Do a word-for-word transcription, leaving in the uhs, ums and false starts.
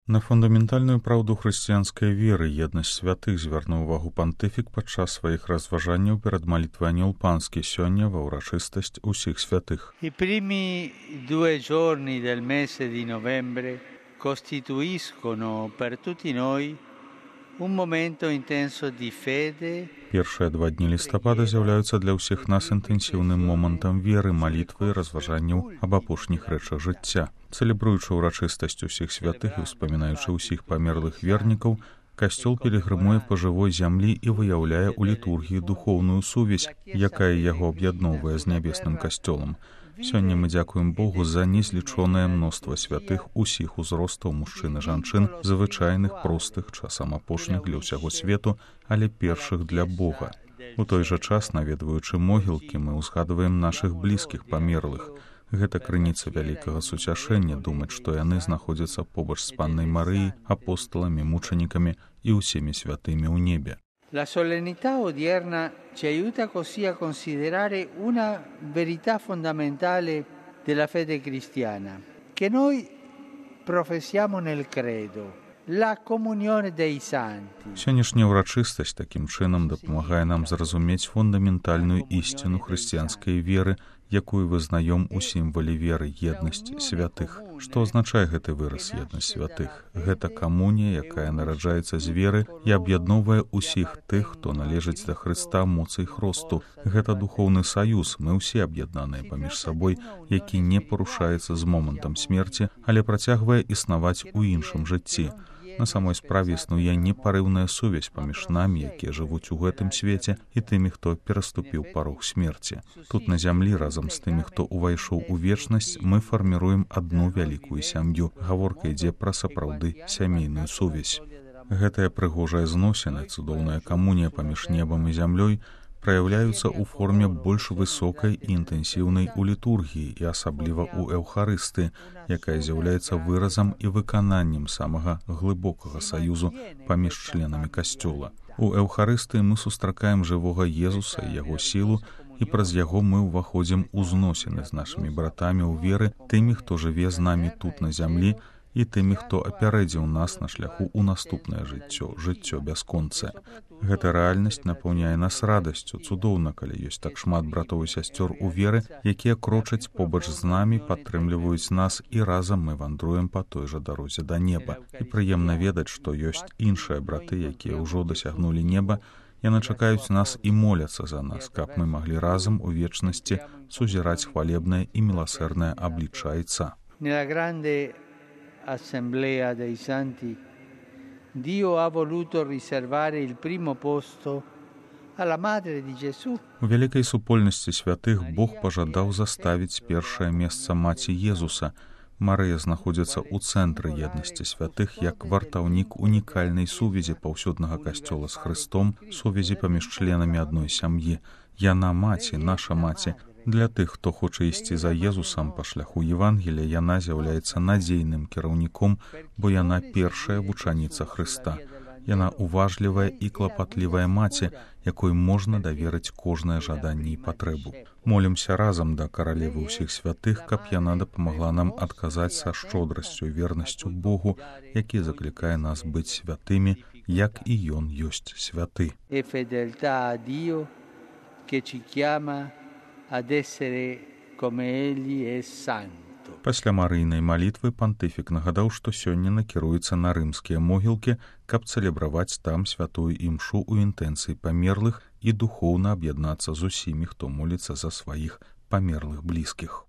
На фундаментальную праўду хрысціянскай веры, еднасць святых, звярнуў увагу пантыфік падчас сваіх разважанняў перад малітвай Анёл Панскі сёння ва ўрачыстасць усіх святых. I primi due giorni del mese di novembre costituiscono per tutti noi un momento intenso di fede. Першыя два дні лістапада з'яўляюцца для ўсіх нас інтэнсіўным момантам веры, малітвы і разважанняў аб апошніх рэчах жыцця. Цэлебруючы ўрачыстасць усіх святых і ўспамінаючы ўсіх памерлых вернікаў, касцёл пілігрымуе па жывой зямлі і выяўляе ў літургіі духоўную сувязь, якая яго аб'ядноўвае з нябесным касцёлам. Сёння мы дзякуем Богу за незлічонае мноства святых усіх узростаў мужчын і жанчын, звычайных, простых, часам апошніх для ўсяго свету, але першых для Бога. У той жа час, наведваючы могілкі, мы ўзгадваем нашых блізкіх памерлых. Гэта крыніца вялікага суцяшэння думаць, што яны знаходзяцца побач з паннай Марыяй, апосталамі, мучанікамі і ўсімі святымі ў небе. La solennità odierna ci aiuta così a considerare una verità fondamentale della fede cristiana, che noi professiamo nel credo, la comunione dei santi. Сённяшняя ўрачыстасць такім чынам дапамагае нам зразумець фундаментальную ісціну хрысціянскай веры, якую вызнаём у сімвале веры еднасць святых. Што азначае гэты выраз еднасць святых? Гэта камунія, якая нараджаецца з веры і аб'ядноўвае ўсіх тых, хто належыць да Хрыста моцы і хросту. Гэта духоўны саюз, мы ўсе аб'яднаныя паміж сабой, які не парушаецца з момантам смерці, але працягвае існаваць у іншым жыцці. На самой справе існуе непарыўная сувязь паміж намі, якія жывуць у гэтым свеце, і тымі, хто пераступіў парог смерці. Тут на зямлі разам з тымі, хто увайшоў у вечнасць, мы фарміруем адну вялікую сям'ю. Гаворка ідзе пра сапраўды сямейную сувязь. Гэтая прыгожая зносіна, цудоўная камунія паміж небам і зямлёй праяўляюцца ў форме больш высокай і інтэнсіўнай у літургіі і асабліва ў эўхарысты, якая з'яўляецца выразам і выкананнем самага глыбокага саюзу паміж членамі касцёла. У эўхарысты мы сустракаем жывога Езуса і яго сілу, і праз яго мы ўваходзім у зносіны з нашымі братамі ў веры, тымі, хто жыве з намі тут на зямлі, і тымі, хто апярэдзіў нас на шляху ў наступнае жыццё, жыццё бясконцае. Гэта рэальнасць напаўняе нас радасцю. Цудоўна, калі ёсць так шмат братоў і сясцёр у веры, якія крочаць побач з намі, падтрымліваюць нас, і разам мы вандруем па той жа дарозе да неба. І прыемна ведаць, што ёсць іншыя браты, якія ўжо дасягнулі неба, яны чакаюць нас і моляцца за нас, каб мы маглі разам у вечнасці сузіраць хвалебнае і міласэрнае аблічча Айца. Assemblea dei Santi, Dio ha voluto riservare il primo posto alla Madre di Gesù. У вялікай супольнасці святых Бог пажадаў заставіць першае месца маці Езуса. Марыя знаходзіцца ў цэнтры еднасці святых як вартаўнік унікальнай сувязі паўсюднага касцёла з Хрыстом, сувязі паміж членамі адной сям'і. Яна маці, наша маці. Для тых, хто хоча ісці за Езусам па шляху Евангелія, яна з'яўляецца надзейным кіраўніком, бо яна першая вучаніца Хрыста. Яна уважлівая і клапатлівая маці, якой можна даверыць кожнае жаданне і патрэбу. Молімся разам да каралевы ўсіх святых, каб яна дапамагла нам адказаць са шчодрасцю і вернасцю Богу, які заклікае нас быць святымі, як і Ён ёсць святы. E fedeltà a Dio che ci chiama ad essere come egli è santo. Пасля марыйнай малітвы пантыфік нагадаў, што сёння накіруецца на рымскія могілкі, каб цэлебраваць там святую імшу ў інтэнцыі памерлых і духоўна аб'яднацца з усімі, хто моліцца за сваіх памерлых блізкіх.